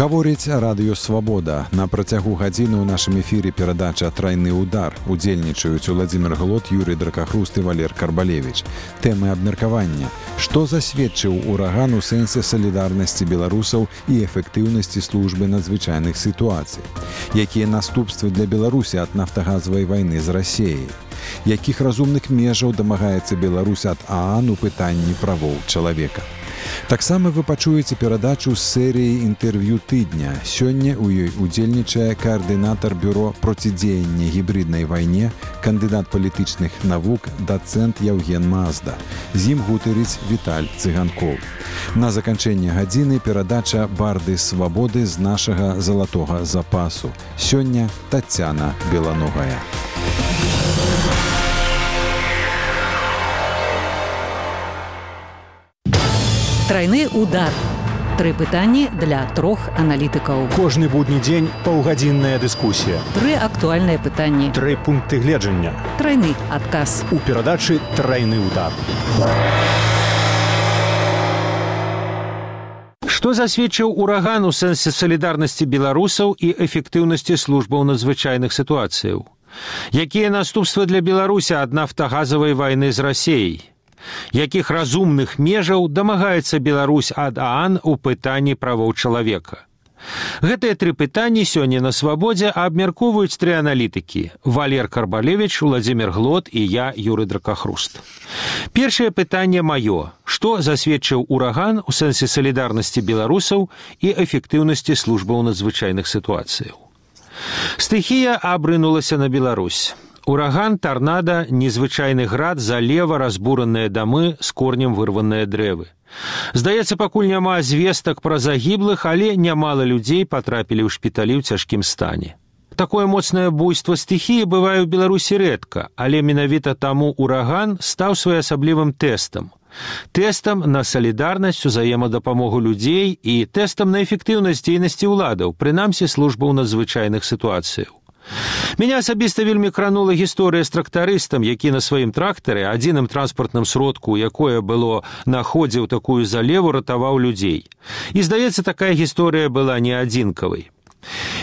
Гаворыць радыё «Свабода». На працягу гадзіны ў нашым эфіры перадача «Трайны удар». Удзельнічаюць Уладзімір Глот, Юрый Дракахруст і Валер Карбалевіч. Тэмы абмеркавання. Што засведчыў ураган у сэнсе салідарнасці беларусаў і эфектыўнасці службы надзвычайных сітуацый? Якія наступствы для Беларусі ад нафтагазавай вайны з Расіяй? Якіх разумных межаў дамагаецца Беларусь ад ААН у пытанні правоў чалавека? Таксама вы пачуеце перадачу з серыі інтэрв'ю тыдня. Сёння ў ёй удзельнічае каардынатар бюро процідзеяння гібриднай вайне, кандыдат палітычных навук, дацэнт Яўген Мазда. З ім гутарыць Віталь Цыганкоў. На заканчэнне гадзіны перадача «Барды свабоды» з нашага залатога запасу. Сёння Тацяна Беланогая. Трайны удар. 3 пытанні для 3 аналітыкаў. Кожны будні дзень паўгадзінная дыскусія. 3 актуальныя пытанні. 3 пункты гледжання. Трайны адказ. У перадачы «Трайны удар». Што засведчыў ураган у сэнсе салідарнасці беларусаў і эфектыўнасці службаў надзвычайных сітуацыяў? Якія наступствы для Беларусі ад нафтагазавай вайны з Расіяй? Якіх разумных межаў дамагаецца Беларусь ад ААН у пытанні правоў чалавека? Гэтыя 3 пытанні сёння на «Свабодзе» абмяркоўваюць 3 аналітыкі – Валер Карбалевіч, Уладзімір Глот і я, Юрый Дракахруст. Першае пытанне маё. Што засведчыў ураган у сэнсе салідарнасці беларусаў і эфектыўнасці службаў надзвычайных сітуацыяў? Стыхія абрынулася на Беларусь. Ураган, тарнада, незвычайны град, залева, разбураныя дамы, з корнем вырваныя дрэвы. Здаецца, пакуль няма звестак пра загіблых, але нямала людзей патрапілі ў шпіталі ў цяжкім стане. Такое моцнае буйство стыхіі бывае ў Беларусі рэдка, але менавіта таму ураган стаў своеасаблівым тэстам. Тэстам на салідарнасць, узаемадапамогу людзей і тэстам на эфектыўнасць дзейнасці ўладаў, прынамсі службаў надзвычайных сітуацыяў. Мяне асабіста вельмі кранула гісторыя з трактарыстам, які на сваім трактары, адзіным транспартным сродку, якое было на ходзе ў такую залеву, ратаваў людзей. І, здаецца, такая гісторыя была не адзінкавай.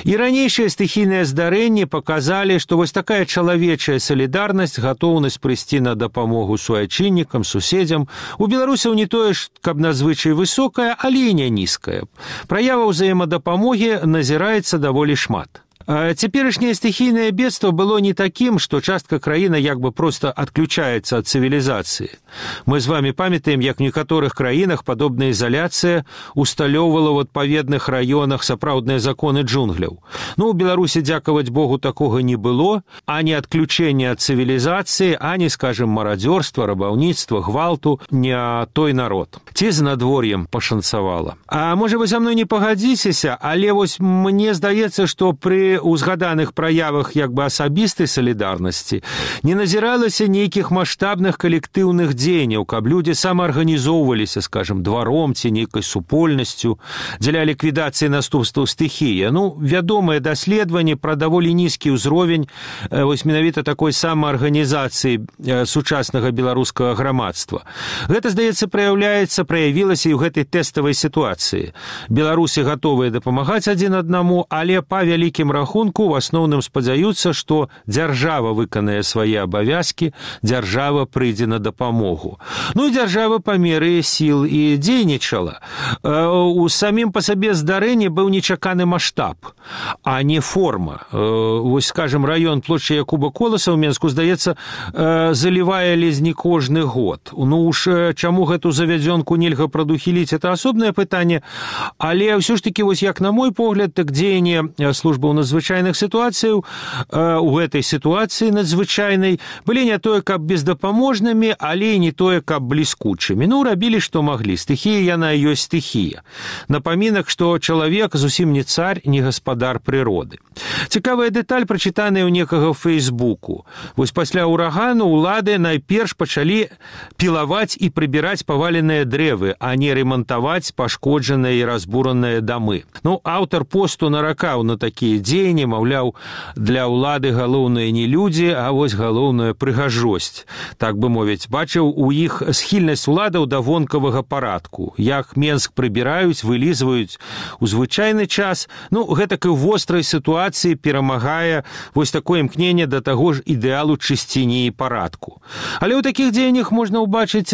І ранейшыя стыхійныя здарэнні паказалі, што вось такая чалавечая салідарнасць, гатоўнасць прыйсці на дапамогу суайчыннікам, суседзям, у беларусаў не тое ж, каб надзвычай высокая, але і не нізкая. Праяваў ўзаемадапамогі назіраецца даволі шмат. Цяперашняе стыхійнае бедства было не такім, што частка краіны як бы проста адключаецца ад цывілізацыі. Мы з вами памятаем, як в некаторых краінах падобная ізаляцыя усталёўвала ў адпаведных раёнах сапраўдныя законы джунгляў. У Беларусі, дзякаваць Богу, такога не было, ані адключэння ад цывілізацыі, ані, скажем, марадзёрства, рабаўніцтва, гвалту, не той народ. Ці з надвор'ем пашанцавала. А можа, вы за мной не пагадзіцеся, але вось мне здаецца, што пры узгаданых праявах як бы асабістай салідарнасці не назіралася нейкіх маштабных калектыўных дзеянняў, каб людзі самаарганізоўваліся, скажем, дваром ці нейкай супольнасцю дзеля ліквідацыі наступстваў стыхіі. Вядомае даследаванне пра даволі нізкі ўзровень вось менавіта такой самаарганізацыі сучаснага беларускага грамадства. Гэта, здаецца, праявілася і ў гэтай тэставай сітуацыі. Беларусы гатовыя дапамагаць адзін аднаму, але па вялікім рахунку в асноўным спадзяюцца, што дзяржава выканае свае абавязкі, дзяржава прыйдзе на дапамогу. І дзяржава па меры сіл і дзейнічала. У самім па сабе здарэнні быў нечаканы маштаб, а не форма. Вось, скажем, раён плошчы Якуба Коласа ў Менску, здаецца, залівае ледзь не кожны год. Чаму гэту завядзёнку нельга прадухіліць, это асобнае пытанне, але ўсё ж такі, вось як на мой погляд, так дзеянне службаў надзвычайных сітуацыяў у гэтай сітуацыі надзвычайнай былі не тое, каб бездапаможнымі, але і не тое, каб бліскучымі. Рабілі, што маглі. Стыхія яна і ёсць стыхія. Напамінак, што чалавек зусім не цар, не гаспадар прыроды. Цікавая дэталь, прачытаная ў некага ў Фейсбуку. Вось пасля урагану ўлады найперш пачалі пілаваць і прыбіраць паваленыя дрэвы, а не ремантаваць пашкоджаныя і разбураныя дамы. Аўтар посту наракаў на такія дзеянні, дзеянні, маўляў, для ўлады галоўнае не людзі, а вось галоўная прыгажосць. Так бы мовіць, бачыў у іх схільнасць уладаў да вонкавага парадку. Як Менск прыбіраюць, вылізваюць у звычайны час, гэтак і ў вострай сітуацыі перамагае вось такое імкненне да таго ж ідэалу чысціні і парадку. Але ў такіх дзеяннях можна ўбачыць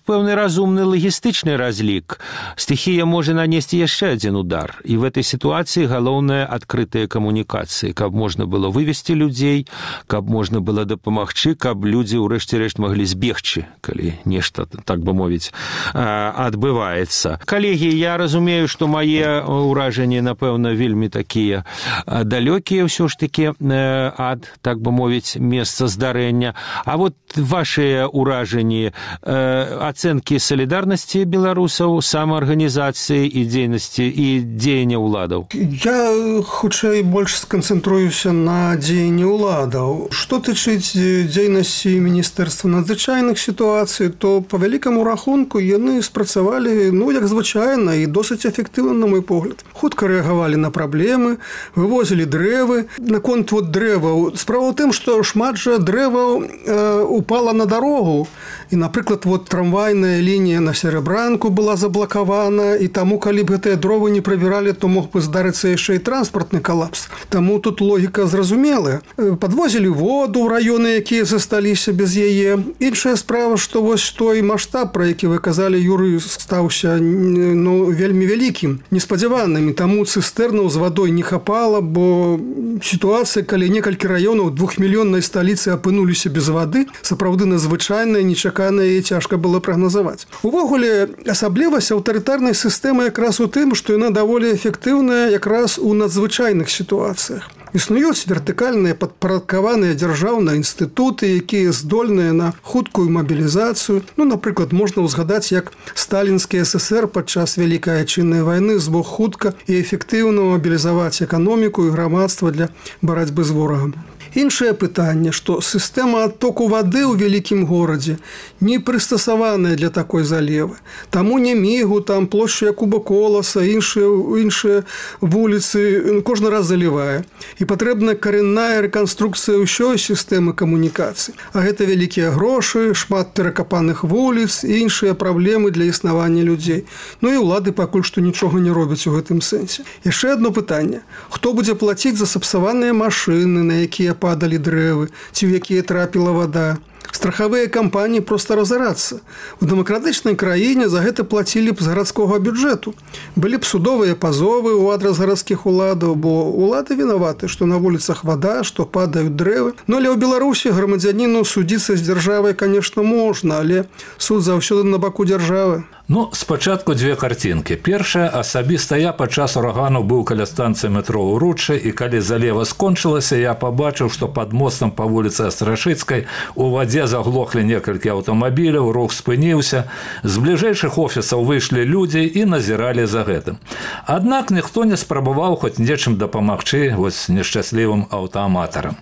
пэўны разумны лагістычны разлік. Стыхія можа нанесці яшчэ адзін удар. І в этой сітуацыі галоўнае адкрытыя камунікацыі, каб можна было вывесці людзей, каб можна было дапамагчы, каб людзі ўрэшце рэшт маглі збегчы, калі нешта, так бы мовіць, адбываецца. Калегі, я разумею, што мае ўражанні, напэўна, вельмі такія далёкія ўсё ж такі ад, так бы мовіць, месца здарэння. А вот вашыя ўражанні, ацэнкі салідарнасці беларусаў, самаарганізацыі і дзейнасці і дзеяння ўладаў? Я хутчэй больш сканцэнтруюся на дзеянні ўладаў. Што тычыць дзейнасці Міністэрства надзвычайных сітуацый, то по вялікаму рахунку яны спрацавалі, як звычайна, і досыць эфектыўна, на мой погляд. Хутка рэагавалі на праблемы, вывозілі дрэвы. Наконт дрэваў. Справа ў тым, што шмат жа дрэваў упала на дарогу. І, напрыклад, трамвайная лінія на Серебранку была заблакавана, і таму, калі б гэтыя дровы не прыбіралі, то мог бы здарыцца яшчэ і транспартны калапс. Таму тут логіка зразумелая. Падвозілі воду ў раёны, якія засталіся без яе. Іншая справа, што вось той маштаб, пра які вы казалі, Юрый, стаўся вельмі вялікім, неспадзяваным. І таму цыстэрнаў з вадой не хапала, бо сітуацыя, калі некалькі раёнаў 2-мільённай сталіцы апынуліся без вады, сапраўды надзвычайная, нечаканая і цяжка было прагназаваць. Увогуле, асаблівасць аўтарытарнай сістэмы якраз у тым, што яна даволі эфектыўная якраз у надзвычайных сітуацыях. Існуюць вертыкальныя падпарадкаваныя дзяржаўныя інстытуты, якія здольныя на хуткую мабілізацыю. Напрыклад, можна ўзгадаць, як сталінскі ССР падчас Вялікай Айчыннай вайны змог хутка і эфектыўна мабілізаваць эканоміку і грамадства для барацьбы з ворагам. Іншае пытанне, што сістэма адтоку вады ў вялікім горадзе не прыстасаваная для такой залевы. Таму Нямігу, там плошчу Якуба Коласа, іншыя вуліцы кожны раз залівае. І патрэбна карэнная рэканструкцыя ўсёй сістэмы камунікацый. А гэта вялікія грошы, шмат перакапаных вуліц і іншыя праблемы для існавання людзей. І ўлады пакуль што нічога не робяць у гэтым сэнсе. Яшчэ адно пытанне. Хто будзе плаціць за сапсаваныя машыны, на якія падалі дрэвы, ці ў якія трапіла вада? Страхавыя кампаніі проста разарацца. У дэмакратычнай краіне за гэта плацілі б з гарадскога бюджэту. Былі б судовыя пазовы ў адрас гарадскіх уладаў, бо улады вінаваты, што на вуліцах вада, што падаюць дрэвы. Але ў Беларусі грамадзяніну судзіцца з дзяржавай, конечно, можна, але суд заўсёды на баку дзяржавы. Спачатку дзве карцінкі. Першая, асабіста я падчас урагану быў каля станцыі метро ўручча, і калі залева скончылася, я пабачыў, што пад мостам па вуліцы Астрашыцкай у вадзе заглохлі некалькі аўтамабіляў, рух спыніўся. З бліжэйшых офісаў выйшлі людзі і назіралі за гэтым. Аднак ніхто не спрабаваў хоць нечым дапамагчы нешчаслівым аўтааматарам.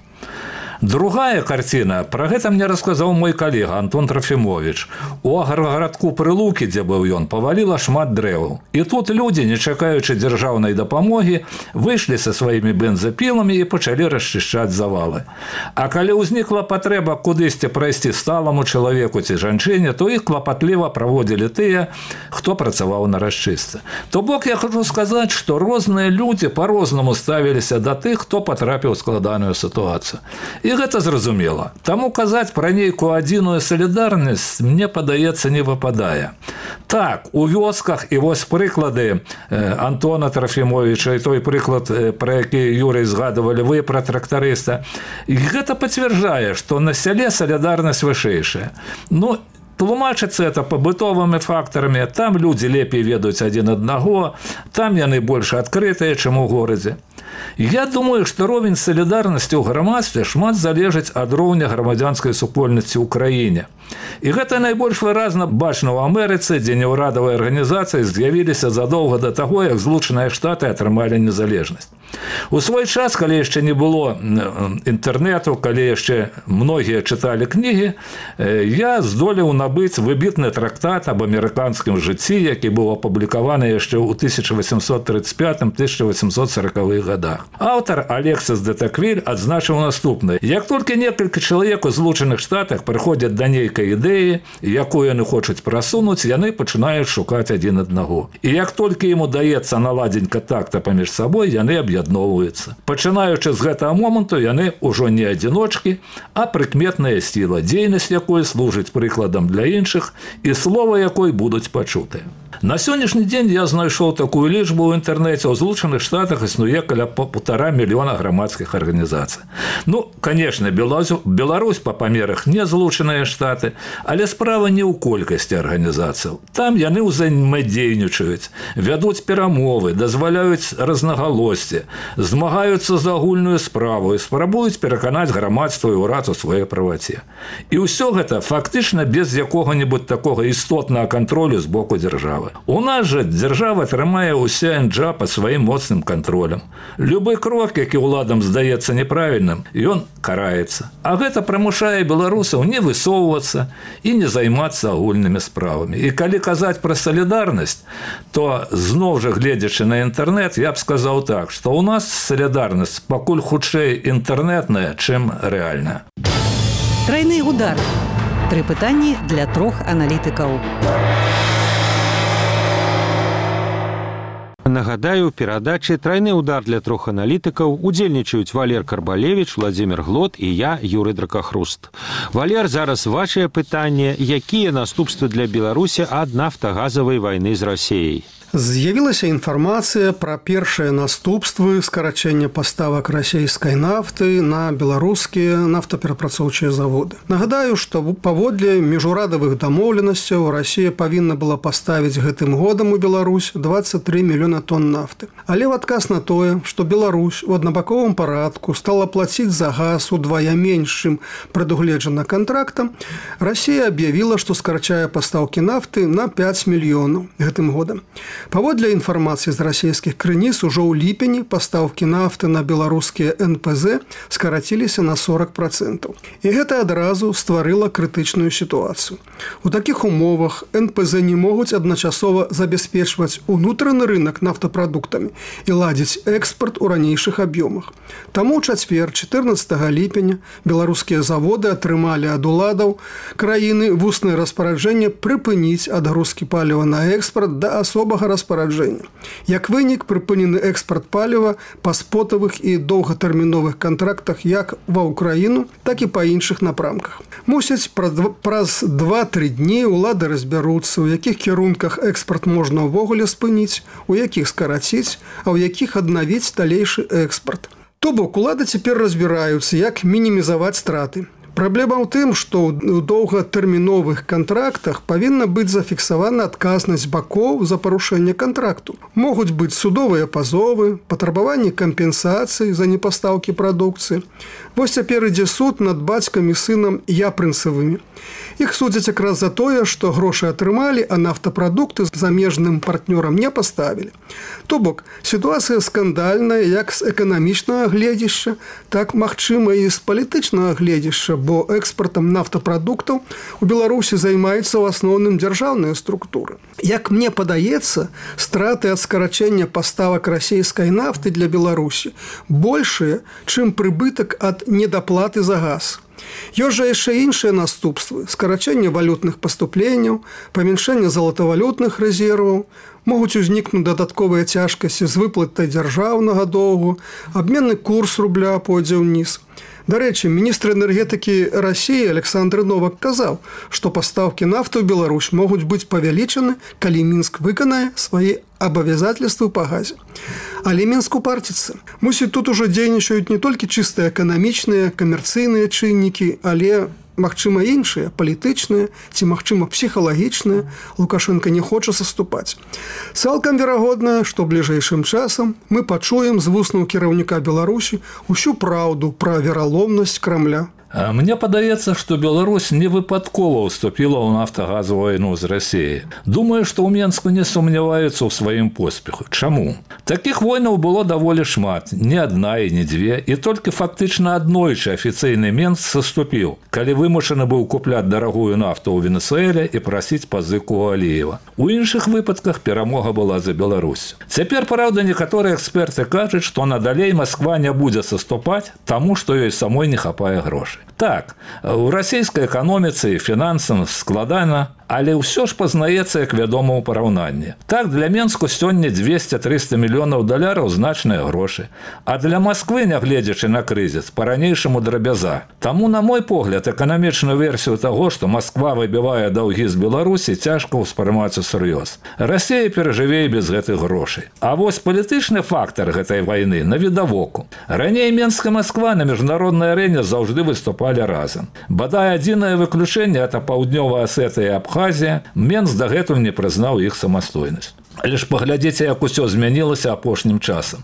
Другая карціна, пра гэта мне расказаў мой калега Антон Трофімовіч. У аграгарадку Прылукі, дзе быў ён, паваліла шмат дрэваў. І тут людзі, не чакаючы дзяржаўнай дапамогі, выйшлі са сваімі бензапіламі і пачалі расчышчаць завалы. А калі ўзнікла патрэба кудысьці прайсці сталаму чалавеку ці жанчыне, то іх клапатліва праводзілі тыя, хто працаваў на расчыстцы. То бок я хочу сказаць, што розныя людзі па-рознаму ставіліся да тых, хто патрапіў у складаную сітуацыю. І гэта зразумела. Таму казаць пра нейкую адзіную салідарнасць, мне падаецца, не выпадае. Так, у вёсках, і вось прыклады Антона Трофімовіча, і той прыклад, пра які, Юрый, згадывалі вы, пра трактарыста, і гэта пацвярджае, што на сяле салідарнасць вышэйшая. Тлумачыцца это пабытовымі фактарамі, там людзі лепей ведаюць адзін аднаго, там яны больш адкрытыя, чым у горадзе. Я думаю, што ровень салідарнасці ў грамадстве шмат залежыць ад роўня грамадзянскай супольнасці ў краіне. І гэта найбольш выразна бачна ў Амерыцы, дзе неўрадавыя арганізацыі з'явіліся задоўга да таго, як Злучаныя Штаты атрымалі незалежнасць. У свой час, калі яшчэ не было інтэрнэту, калі яшчэ многія чыталі кнігі, я здолеў набыць выбітны трактат аб амерыканскім жыцці, які быў апублікаваны яшчэ ў 1835-1840-х годах. гадах. Аўтар Алексіс де Таквиль адзначыў наступнае: як толькі некалькі чалавек у Злучаных Штатах прыходзяць да нейкай ідэі, якую яны хочуць прасунуць, яны пачынаюць шукаць адзін аднаго. І як толькі ім удаецца наладзіць кантакта паміж сабой, яны аб'ядноўваюцца. Пачынаючы з гэтага моманту, яны ўжо не адзіночкі, а прыкметная сіла, дзейнасць якой служыць прыкладам для іншых і слова якой будуць пачутыя. На сённяшні дзень я знайшоў такую лічбу ў інтэрнэце. У Злучаных Штатах існуе каля 1,5 мільёна грамадскіх арганізацый. Ну, конечно, Беларусь па памерах не Злучаныя Штаты, але справа не ў колькасці арганізацыяў. Там яны ўзаемадзейнічаюць, вядуць перамовы, дазваляюць рознагалоссі, змагаюцца за агульную справу і спрабуюць пераканаць грамадства і ўрад у сваёй праваце. І ўсё гэта фактычна без якога-небудзь такога істотнага кантролю з боку дзяржавы. У нас жа дзяржава трымае ўсе НДЖ пад сваім моцным кантролем. Любы крок, які ўладам здаецца неправільным, ён караецца. А гэта прымушае беларусаў не высоўвацца і не займацца агульнымі справамі. І калі казаць пра салідарнасць, то зноў жа гледзячы на інтэрнэт, я б сказаў так, што ў нас салідарнасць пакуль хутчэй інтэрнэтная, чым рэальная. Трайны удар. 3 пытанні для 3 аналітыкаў. Нагадаю, у перадачы «Трайны удар» для 3 аналітыкаў удзельнічаюць Валер Карбалевич, Владзімір Глот і я, Юрый Дракахруст. Валер, зараз вашае пытанне: якія наступствы для Беларусі ад нафтагазавай вайны з Расіяй? З'явілася інфармацыя пра першыя наступствы скарачэння паставак расійскай нафты на беларускія нафтаперапрацоўчыя заводы. Нагадаю, што паводле міжурадавых дамоўленасцяў Расія павінна была паставіць гэтым годам у Беларусь 23 мільёна тонн нафты. Але ў адказ на тое, што Беларусь у аднабаковым парадку стала плаціць за газ удвая менш, чым прадугледжана кантрактам, Расія аб'явіла, што скарачае пастаўкі нафты на 5 мільёнаў гэтым годам. Паводле інфармацыі з расійскіх крыніц, ужо ў ліпені пастаўкі нафты на беларускія НПЗ скараціліся на 40%. І гэта адразу стварыла крытычную сітуацыю. У такіх умовах НПЗ не могуць адначасова забяспечваць унутраны рынок нафтапрадуктамі і ладзіць экспарт у ранейшых аб'ёмах. Таму ў чацвер, 14 ліпеня, беларускія заводы атрымалі ад уладаў краіны вуснае распараджэнне прыпыніць адгрузкі паліва на экспарт да асобага распараджэння. Як вынік, прыпынены экспарт паліва па спотавых і доўгатэрміновых кантрактах як ва ўкраіну, так і па іншых напрамках. Мусіць, праз 2-3 дні улады разбяруцца, у якіх кірунках экспарт можна ўвогуле спыніць, у якіх скараціць, а ў якіх аднавіць далейшы экспарт. То бок, улады цяпер разбіраюцца, як мінімізаваць страты. Праблема ў тым, што ў доўгатэрміновых кантрактах павінна быць зафіксавана адказнасць бакоў за парушэнне кантракту. Могуць быць судовыя пазовы, патрабаванне кампенсацыі за непастаўкі прадукцыі. Вось цяпер ідзе суд над бацькам і сынам япрынцавымі. Іх судзяць якраз за тое, што грошы атрымалі, а нафтапрадукты замежным партнёрам не паставілі. То бок, сітуацыя скандальная як з эканамічнага гледзішча, так, магчыма, і з палітычнага гледзішча, бо экспартам нафтапрадуктаў у Беларусі займаюцца ў асноўным дзяржаўныя структуры. Як мне падаецца, страты ад скарачэння паставак расійскай нафты для Беларусі большыя, чым прыбытак ад недаплаты за газ. Ёсць жа яшчэ іншыя наступствы: скарачэнне валютных паступленняў, памяншэнне залатавалютных рэзерваў, могуць узнікнуць дадатковыя цяжкасці з выплатай дзяржаўнага доўгу, абменны курс рубля пойдзе ўніз. Дарэчы, міністр энергетыкі Расіі Александр Новак казаў, што пастаўкі нафты ў Беларусь могуць быць павялічаны, калі Мінск выканае свае абавязательствы па газе. Але Мінск упарціцца. Мусіць, тут ужо дзейнічаюць не толькі чыста эканамічныя, камерцыйныя чыннікі, але магчыма, іншыя, палітычныя ці, магчыма, псіхалагічныя. Лукашенко не хоча саступаць. Цалкам верагодна, што бліжэйшым часам мы пачуем з вуснаў кіраўніка Беларусі ўсю праўду пра вераломнасць Крамля. Мне падаецца, што Беларусь не выпадкова ўступіла ў нафтагазавую вайну з Расіяй. Думаю, што ў Менску не сумняваюцца ў сваім поспеху. Чаму? Такіх войнаў было даволі шмат, не адна і не дзве, і толькі фактычна аднойчы афіцыйны Менск саступіў, калі вымушаны быў купляць дарагую нафту ў Венесуэле і прасіць пазыку ў Аліева. У іншых выпадках перамога была за Беларусь. Цяпер, праўда, некаторыя эксперты кажуць, што надалей Масква не будзе саступаць, таму што ёй самой не хапае грошай. Так, у расійскай эканоміцы і фінансам складана, але ўсё ж пазнаецца, як вядома, ў параўнанні. Так, для Менску сёння 200-300 мільёнаў даляраў значныя грошы, а для Масквы, нягледзячы на крызіс, па-ранейшаму драбяза. Таму, на мой погляд, эканамічную версію таго, што Масква выбівае даўгі з Беларусі, цяжка ўспрымаць усур'ёз. Расія перажыве і без гэтых грошай. А вось палітычны фактар гэтай вайны навідавоку. Раней Менск і Масква на міжнароднай арэне заўжды выступалі разам. Бадай адзінае выключэнне – это Паўднёвая Асетыя і Абхазія. Менск дагэтуль не прызнаў іх самастойнасць. Але ж паглядзіце, як усё змянілася апошнім часам.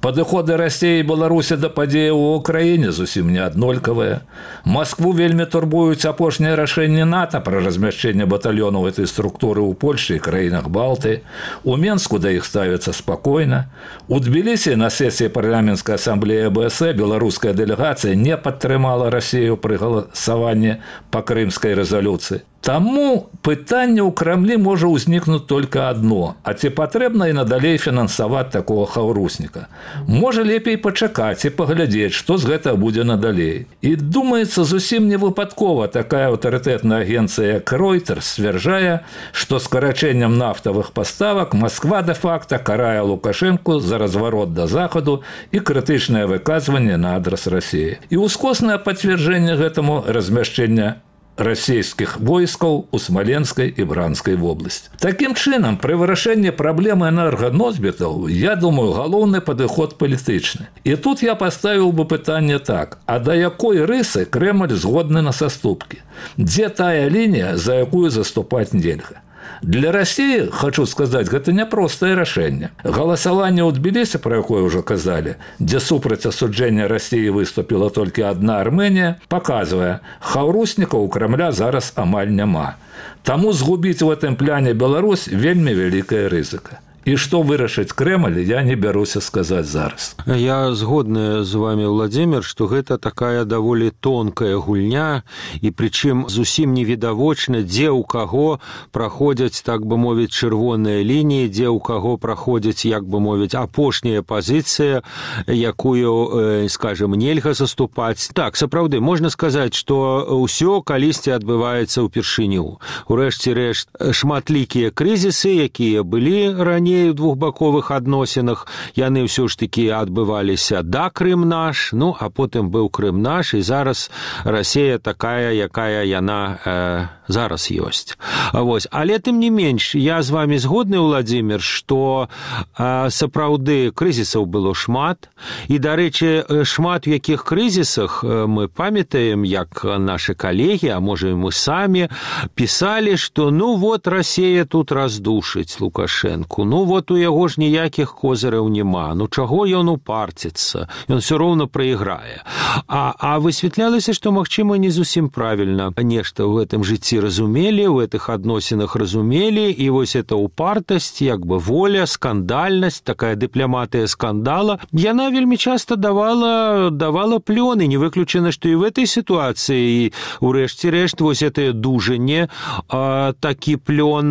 Падыходы Расіі і Беларусі да падзеяў у Украіне зусім не аднолькавыя. Маскву вельмі турбуюць апошнія рашэнні НАТО пра размяшчэнне батальёнаў гэтай структуры ў Польшчы і краінах Балты. У Менску да іх ставіцца спакойна. У Тбілісі на сесіі парламенцкай асамблеі АБС беларуская дэлегацыя не падтрымала Расію пры галасаванні па крымскай рэзалюцыі. Таму пытанне ў Крамлі можа ўзнікнуць толькі адно, а ці патрэбна і надалей фінансаваць такога хаўрусніка. Можа лепей пачакаць і паглядзець, што з гэтага будзе надалей. І думаецца, зусім не выпадкова такая аўтарытэтная агенцыя, як Reuters, сцвярджае, што скарачэннем нафтавых паставак Масква дэ-факта карае Лукашэнку за разварот да Захаду і крытычнае выказванне на адрас Расіі. І ускоснае пацверджэнне гэтаму размяшчэння расійскіх войскаў у Смаленскай і Бранскай вобласці. Такім чынам, пры вырашэнні праблемы энерганосьбітаў, я думаю, галоўны падыход палітычны. І тут я паставіў бы пытанне так, а да якой рысы Крэмль згодны на саступкі? Дзе тая лінія, за якую заступаць нельга? Для Расіі, хочу сказаць, гэта няпростае рашэнне. Галасаванне ў Тбілісі, пра якое ўжо казалі, дзе супраць асуджэння Расіі выступіла толькі адна Армэнія, паказвае, хаўруснікаў у Крамля зараз амаль няма. Таму згубіць у гэтым пляне Беларусь вельмі вялікая рызыка. І што вырашыць Крэмль, я не бяруся сказаць зараз. Я згодны з вами, Владимир, што гэта такая даволі тонкая гульня, і прычым зусім невідавочна, дзе ў каго праходзяць, так бы мовіць, чырвоныя лініі, дзе ў каго праходзяць, як бы мовіць, апошняя пазіцыя, якую, скажем, нельга заступаць. Так, сапраўды, можна сказаць, што ўсё калісьці адбываецца ўпершыню. Урэшце рэшт, шматлікія крызісы, якія былі раней у двухбаковых адносінах, яны ўсё ж такі адбываліся да Крым наш, ну, а потым быў Крым наш, і зараз Расія такая, якая яна зараз ёсць. Вось. Але тым не менш, я з вами згодны, Владимир, што сапраўды крызісаў было шмат, і, дарэчы, шмат у якіх крызісах мы памятаем, як нашы калегі, а можа і мы самі, пісалі, што ну вот Расія тут раздушыць Лукашэнку, ну вот у яго ж ніякіх козыраў няма, ну чаго ён упарціцца, ён все роўна прайграе. А высвятлялася, што, магчыма, не зусім правільна нешта ў гэтым жыцці разумелі, у гэтых адносінах разумелі, і вось эта упартасць, як бы воля, скандальнасць, такая дыпламатыя скандала, яна вельмі часта давала плёны, не выключана, што і в этой сітуацыі, урэшце рэшт, вось гэтае дужанне такі плён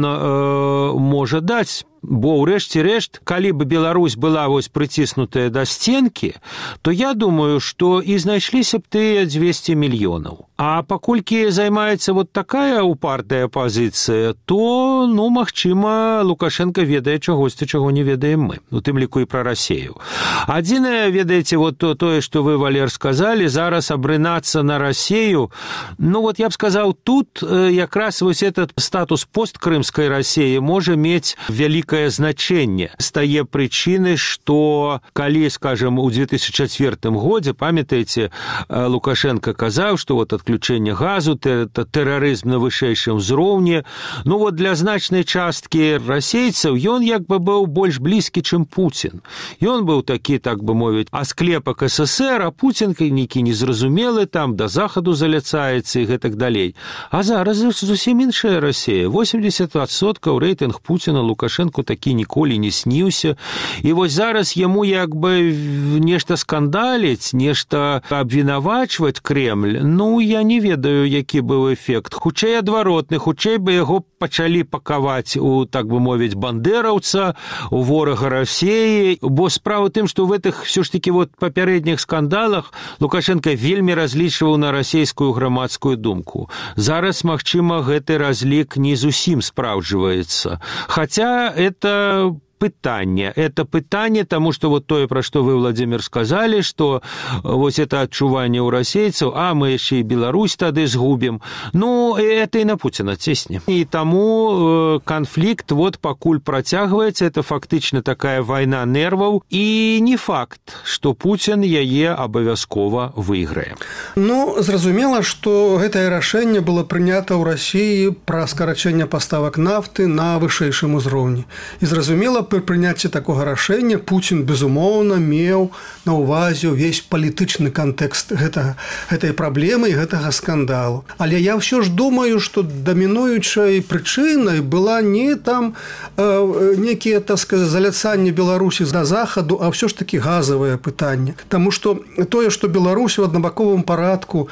можа даць. Бо ўрэшце рэшт, калі бы Беларусь была вось прыціснутая да сценкі, то я думаю, што і знайшліся б тыя 200 мільёнаў. А паколькі займаецца вот такая упартая пазіцыя, то, ну, магчыма, Лукашенко ведае чагосьці, чаго не ведаем мы, у тым ліку і пра Расію. Адзінае, ведаеце, вот тое, што вы, Валер, сказалі, зараз абрынацца на Расію, ну, вот я б сказаў, тут якраз вось этот статус посткрымскай Расіі можа мець вялікае значэнне. Стае прычыны, што калі, скажем, у 2004 годзе, памятаеце, Лукашенко казаў, што вот ад адключэння газу, тэрарызм на вышэйшым узроўні. Ну вот для значнай часткі расейцаў ён як бы быў больш блізкі, чым Пуцін. Ён быў такі, так бы мовіць, асклепак СССР, а Пуцін нейкі незразумелы, там да захаду заляцаецца і гэтак далей. А зараз зусім іншая Расія. 80% рэйтынг Пуціна Лукашэнку такі ніколі не сніўся. І вось зараз яму як бы нешта скандаліць, нешта абвінавачваць Кремль. Ну, я не ведаю, які быў эфект. Хутчэй адваротны, хутчэй бы яго пачалі пакаваць у, так бы мовіць, бандераўца, у ворага Расіі. Бо справа тым, што в гэтых все ж таки вот папярэдніх скандалах Лукашенко вельмі разлічваў на расійскую грамадскую думку. Зараз, магчыма, гэты разлік не зусім спраўджваецца. Хаця это пытанне, тому что вот тое, про что вы, Владимир, сказали, что вот это адчуванне у расейцаў, а мы еще и Беларусь тады сгубим. Ну, это и на Путина цесне. И тому конфликт вот покуль протягивается, это фактично такая война нервов, и не факт, что Путин яе абавязкова выйграе. Ну, зразумела, что гэтае рашэнне было прынята ў Расіі пра скарачэнне паставак нафты на вышэйшым узроўні. І зразумела, пры прыняцці такога рашэння Пуцін, безумоўна, меў на ўвазе ўвесь палітычны кантэкст гэтай праблемы і гэтага скандалу. Але я ўсё ж думаю, што дамінуючай прычынай была не там некія, так сказаць, заляцанне Беларусі да захаду, а ўсё ж такі газавае пытанне. Таму што тое, што Беларусь у аднабаковым парадку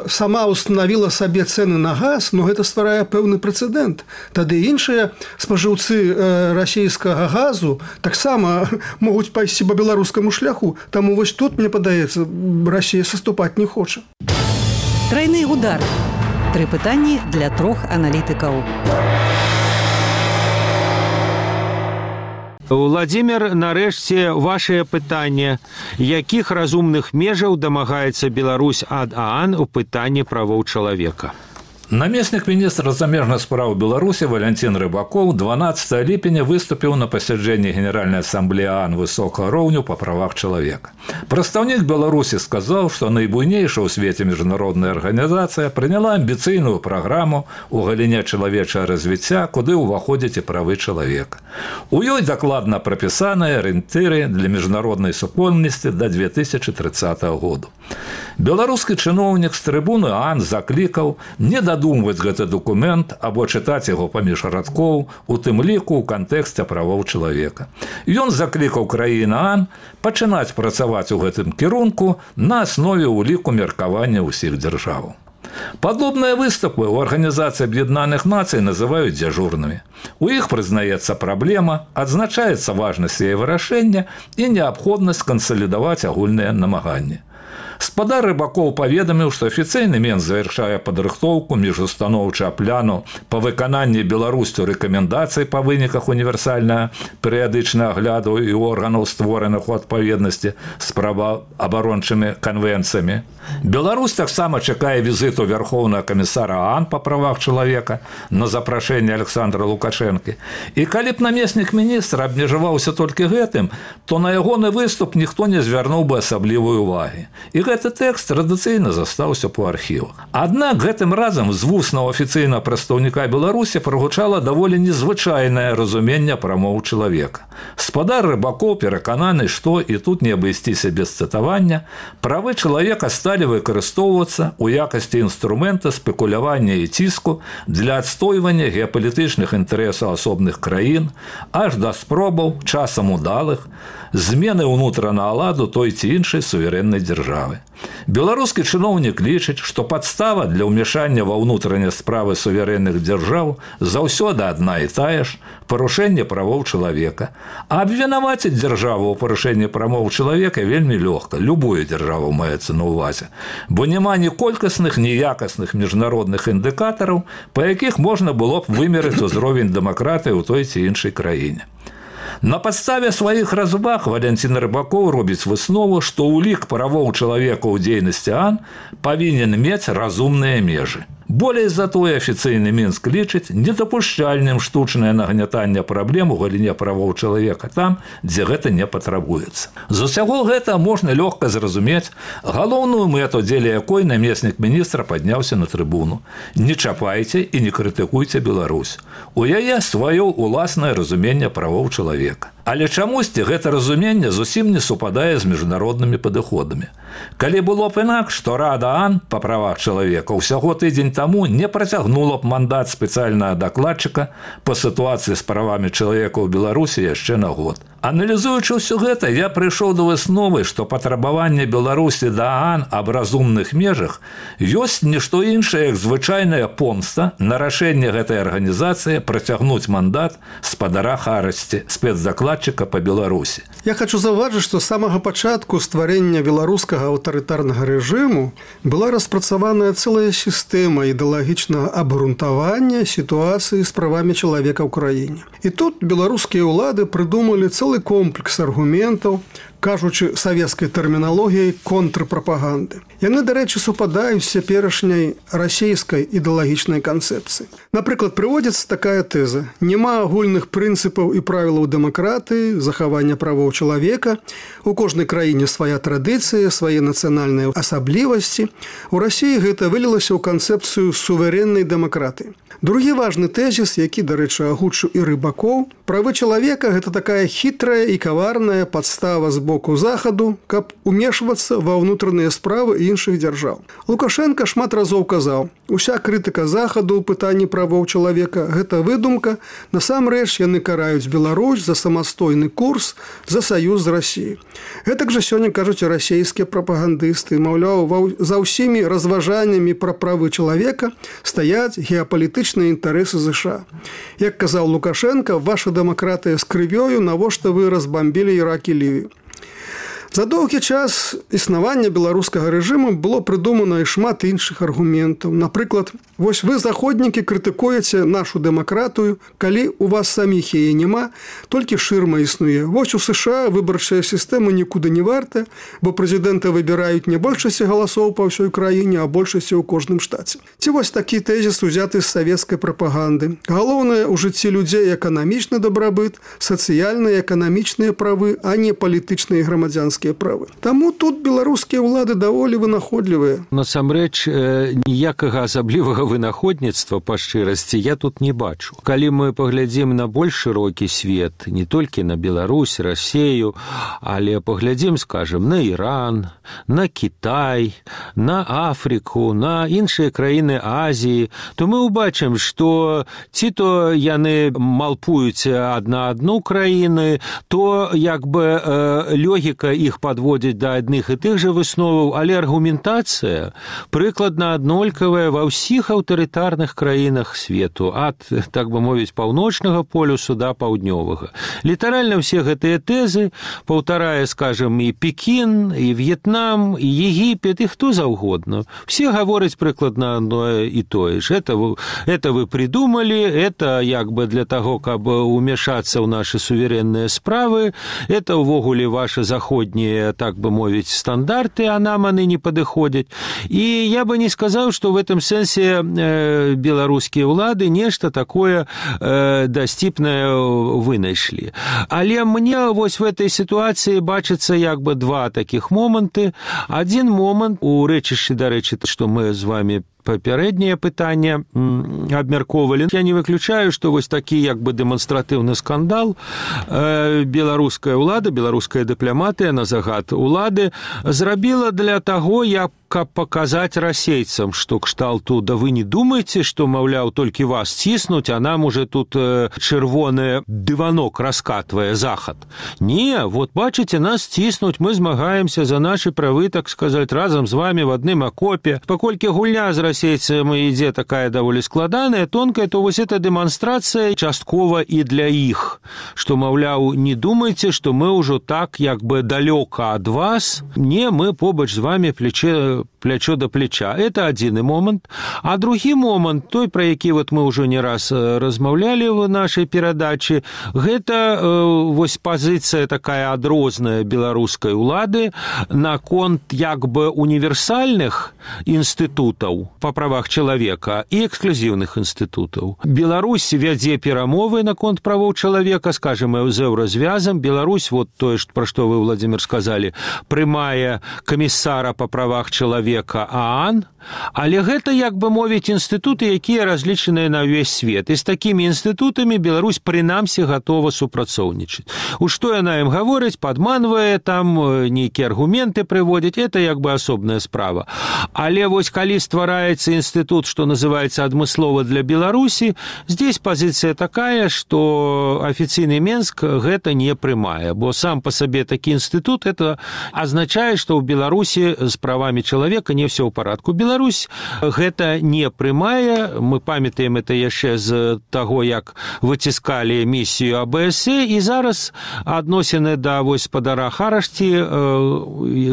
сама устанавіла сабе цэны на газ, ну гэта стварае пэўны прэцэдэнт. Тады іншыя спажыўцы расійскага газу таксама могуць пайсці па беларускаму шляху. Таму вось тут, мне падаецца, Расія саступаць не хоча. Тройны удар. 3 пытанні для 3 аналітыкаў. Владимир, нарэшце, вашее пытанне. Якіх разумных межаў дамагаецца Беларусь ад ААН у пытанні правоў чалавека? Намеснік міністра замежных спраў Беларусі Валянцін Рыбакоў 12 ліпеня выступіў на пасяджэнні Генеральнай асамблеі ААН высокага роўню па правах чалавека. Прадстаўнік Беларусі сказаў, што найбуйнейшая ў свеце міжнародная арганізацыя прыняла амбіцыйную праграму ў галіне чалавечага развіцця, куды ўваходзяць і правы чалавека. У ёй дакладна прапісаныя арыентыры для міжнароднай супольнасці да 2030 году. Беларускі чыноўнік з трыбуны ААН заклікаў не дадумваць гэты дакумент або чытаць яго паміж радкоў, у тым ліку ў кантэксце правоў чалавека. Ён заклікаў краіны ААН пачынаць працаваць у гэтым кірунку на аснове ўліку меркавання ўсіх дзяржаў. Падобныя выступы ў Арганізацыі Аб'яднаных Нацый называюць дзяжурнымі. У іх прызнаецца праблема, адзначаецца важнасць яе вырашэння і неабходнасць кансалідаваць агульныя намаганні. Спадар Рыбакоў паведаміў, што афіцыйны мен завяршае падрыхтоўку міжустаноўчага пляну па выкананні Беларусцю рэкамендацый па выніках універсальнага перыядычнага агляду і органаў, створаных у адпаведнасці з праваабарончымі канвенцыямі. Беларусь таксама чакае візіту Вярхоўнага камісара ААН па правах чалавека на запрашэнне Александра Лукашэнкі. І калі б намеснік міністра абмежаваўся толькі гэтым, то на ягоны выступ ніхто не звярнуў бы асаблівай увагі. І гэты тэкст традыцыйна застаўся па архівах. Аднак гэтым разам з вуснага афіцыйнага прадстаўніка Беларусі прагучала даволі незвычайнае разуменне прамоў чалавека. Спадар Рыбакоў перакананы, што, і тут не абысціся без цытавання, правы чалавека сталі выкарыстоўвацца ў якасці інструмента спекулявання і ціску для адстойвання геапалітычных інтарэсаў асобных краін, аж да спробаў, часам удалых, змены ўнутранага ладу той ці іншай суверэннай дзяржавы. Беларускі чыноўнік лічыць, што падстава для ўмяшання ва ўнутраныя справы суверэнных дзяржаў заўсёды адна і тая ж – парушэнне правоў чалавека. А абвінаваціць дзяржаву ў парушэнні правоў чалавека вельмі лёгка, любую дзяржаву маецца на ўвазе, бо няма ні колькасных, ні якасных міжнародных індыкатараў, па якіх можна было б вымерыць узровень дэмакратыі ў той ці іншай краіне. На падставе сваіх разваг Валянцін Рыбакоў робіць выснову, што ўлік правоў чалавека ў дзейнасці ААН павінен мець разумныя межы. Болей за тое, афіцыйны Мінск лічыць недапушчальным штучнае нагнятанне праблем у галіне правоў чалавека там, дзе гэта не патрабуецца. З усяго гэта можна лёгка зразумець галоўную мэту, дзеля якой намеснік міністра падняўся на трыбуну. Не чапайце і не крытыкуйце Беларусь. У яе сваё уласнае разуменне правоў чалавека. Але чамусьці гэта разуменне зусім не супадае з міжнароднымі падыходамі. Калі было б інакш, што Рада ААН па правах чалавека ўсяго тыдзень таму не працягнула б мандат спецыяльнага дакладчыка па сітуацыі з правамі чалавека ў Беларусі яшчэ на год. Аналізуючы ўсё гэта, я прыйшоў да высновы, што патрабаванне Беларусі да ААН аб разумных межах ёсць не што іншае, як звычайная помста на рашэнне гэтай арганізацыі працягнуць мандат спадара Харасці, спецдакладчыка па Беларусі. Я хочу заўважыць, што з самага пачатку стварэння беларускага аўтарытарнага рэжыму была распрацаваная цэлая сістэма ідэалагічнага абгрунтавання сітуацыі з правамі чалавека ў краіне. І тут беларускія ўлады прыдумалі цэлы комплекс аргументаў, кажучы савецкай тэрміналогіяй контрпрапаганды. Яны, дарэчы, супадаюць з цяперашняй расійскай ідэалагічнай канцэпцыі. Напрыклад, прыводзіцца такая тэза: няма агульных прынцыпаў і правілаў дэмакратыі, захавання правоў чалавека, у кожнай краіне свая традыцыя, свае нацыянальныя асаблівасці. У Расіі гэта вылілася ў канцэпцыю суверэннай дэмакратыі. Другі важны тэзіс, які, дарэчы, агучыў і Рыбакоў: правы чалавека – гэта такая хітрая і каварная падстава з боку захаду, каб умешвацца ва ўнутраныя справы іншых дзяржаў. Лукашенко шмат разоў казаў: уся крытыка захаду ў пытанні правоў чалавека – гэта выдумка, насамрэч яны караюць Беларусь за самастойны курс, за саюз з Расіяй. Гэтак жа сёння кажуць і расійскія прапагандысты, маўляў, за ўсімі разважаннямі пра правы чалавека стаяць геапалітычныя інтарэсы ЗША. Як казаў Лукашенко, ваша дэмакратыя з крывёю, навошта вы разбамбілі Ірак і Лівію. За доўгі час існавання беларускага рэжыму было прыдумана і шмат іншых аргументаў. Напрыклад, вось вы, заходнікі, крытыкуеце нашу дэмакратыю, калі у вас саміх яе няма, толькі шырма існуе. Вось у США выбарчая сістэма нікуды не варта, бо прэзідэнта выбіраюць не большасці галасоў па ўсёй краіне, а большасці ў кожным штаце. Ці вось такі тэзіс узяты з савецкай прапаганды. Галоўнае ў жыцці людзей эканамічны дабрабыт, сацыяльныя эканамічныя правы, а не палітычныя і грамадзянскія правы. Таму тут беларускія ўлады даволі вынаходлівыя. Насамрэч, ніякага асаблівага вынаходніцтва, па шчырасці, я тут не бачу. Калі мы паглядзім на больш шырокі свет, не толькі на Беларусь, Расею, але паглядзім, скажем, на Іран, на Кітай, на Афрыку, на іншыя краіны Азіі, то мы ўбачым, што ці то яны малпуюць адна адну краіны, то як бы логіка іх падводзіць да адных і тых жа высноваў, але аргументацыя прыкладна аднолькавая ва ўсіх аўтарытарных краінах свету, ад, так бы мовіць, паўночнага полюсу да паўднёвага. Літаральна ўсе гэтыя тэзы паўтарае, скажем, і Пекін, і В'етнам, і Егіпет, і хто заўгодна. Все гавораць прыкладна одно і тое ж. Это вы придумали, это як бы для таго, каб умешацца ў нашы суверэнныя справы, это ўвогуле ваши заходнія, так бы мовіць, стандарты, а нам они не падыходзяць. І я бы не сказаў, што в этом сэнсе беларускія ўлады нешта такое дасціпнае вынайшлі. Але мне вось в этой ситуации бачыцца як бы два таких моманты. Один момант у рэчышчы, дарэчы, што мы з вами папярэдняе пытанне абмяркоўвалі. Я не выключаю, што вось такі як бы дэманстратыўны скандал беларуская ўлада, беларуская дыпламатыя на загад улады зрабіла для таго, каб паказаць расейцам, што кшталту, да вы не думаеце, што, маўляў, толькі вас ціснуць, а нам уже тут чырвоны дыванок раскатвае захад. Не, вот бачыце, нас ціснуць, мы змагаемся за нашы правы, так сказаць, разам з вами в адным акопе. Паколькі гульня з расейцамі ідзе такая даволі складаная, тонкая, то вось эта дэманстрацыя часткова і для іх, што, маўляў, не думайце, што мы ўжо так як бы далёка ад вас. Не, мы побач з вами плече плячо до плеча. Это адзіны момант. А другі момант, той, пра які мы ўжо не раз размаўлялі в нашай перадачы, гэта вось пазіцыя такая адрозная беларускай улады наконт як бы універсальных інстытутаў па правах чалавека і эксклюзіўных інстытутаў. Беларусь вядзе перамовы наконт правоў чалавека, скажем, з еўразвязам. Беларусь, вот тое, пра што вы, Владимир, сказалі, прымае камісара па правах чалавека ААН, але гэта, як бы мовіць, інстытуты, якія разлічаныя на ўвесь свет. І з такімі інстытутамі Беларусь прынамсі гатова супрацоўнічаць. У што яна ім гаворыць, падманвае, там нейкія аргументы прыводзіць, это як бы асобная справа. Але вось калі ствараецца інстытут, што называецца адмыслова для Беларусі, здесь пазіцыя такая, што афіцыйны Менск гэта не прымае, бо сам па сабе такі інстытут, это азначае, што ў Беларусі з правамі чалавека не все ў парадку. Беларусь гэта не прымае. Мы памятаем это яшчэ з таго, як выціскалі місію АБСЕ, і зараз адносіны да вось спадара Харашці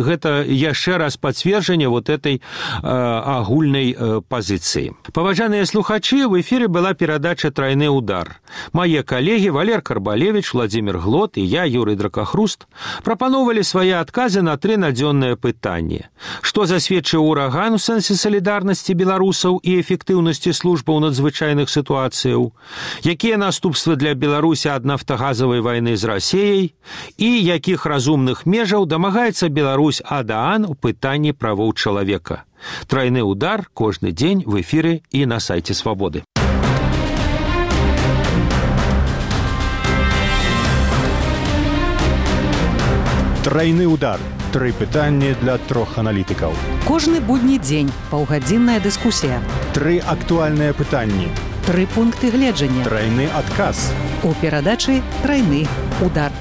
гэта яшчэ раз пацверджанне вот этой агульнай пазіцыі. Паважаныя слухачы, в эфіры была перадача «Трайны удар». Мае калегі Валер Карбалевич, Владимир Глот і я, Юрий Дракахруст, прапановвалі свае адказы на 3 надзённыя пытанні. Што засведчыў ураган у сэнсе салідарнасці беларусаў і эфектыўнасці службаў надзвычайных сітуацыяў? Якія наступствы для Беларусі ад нафтагазавай вайны з Расіяй? І якіх разумных межаў дамагаецца Беларусь ад ААН у пытанні правоў чалавека? «Трайны удар» кожны дзень в эфіры і на сайце Свабоды. Трайны удар. 3 пытанні для 3 аналітыкаў. Кожны будні дзень паўгадзінная дыскусія. 3 актуальныя пытанні. 3 пункты гледжання. Трайны адказ. У перадачы «Трайны удар».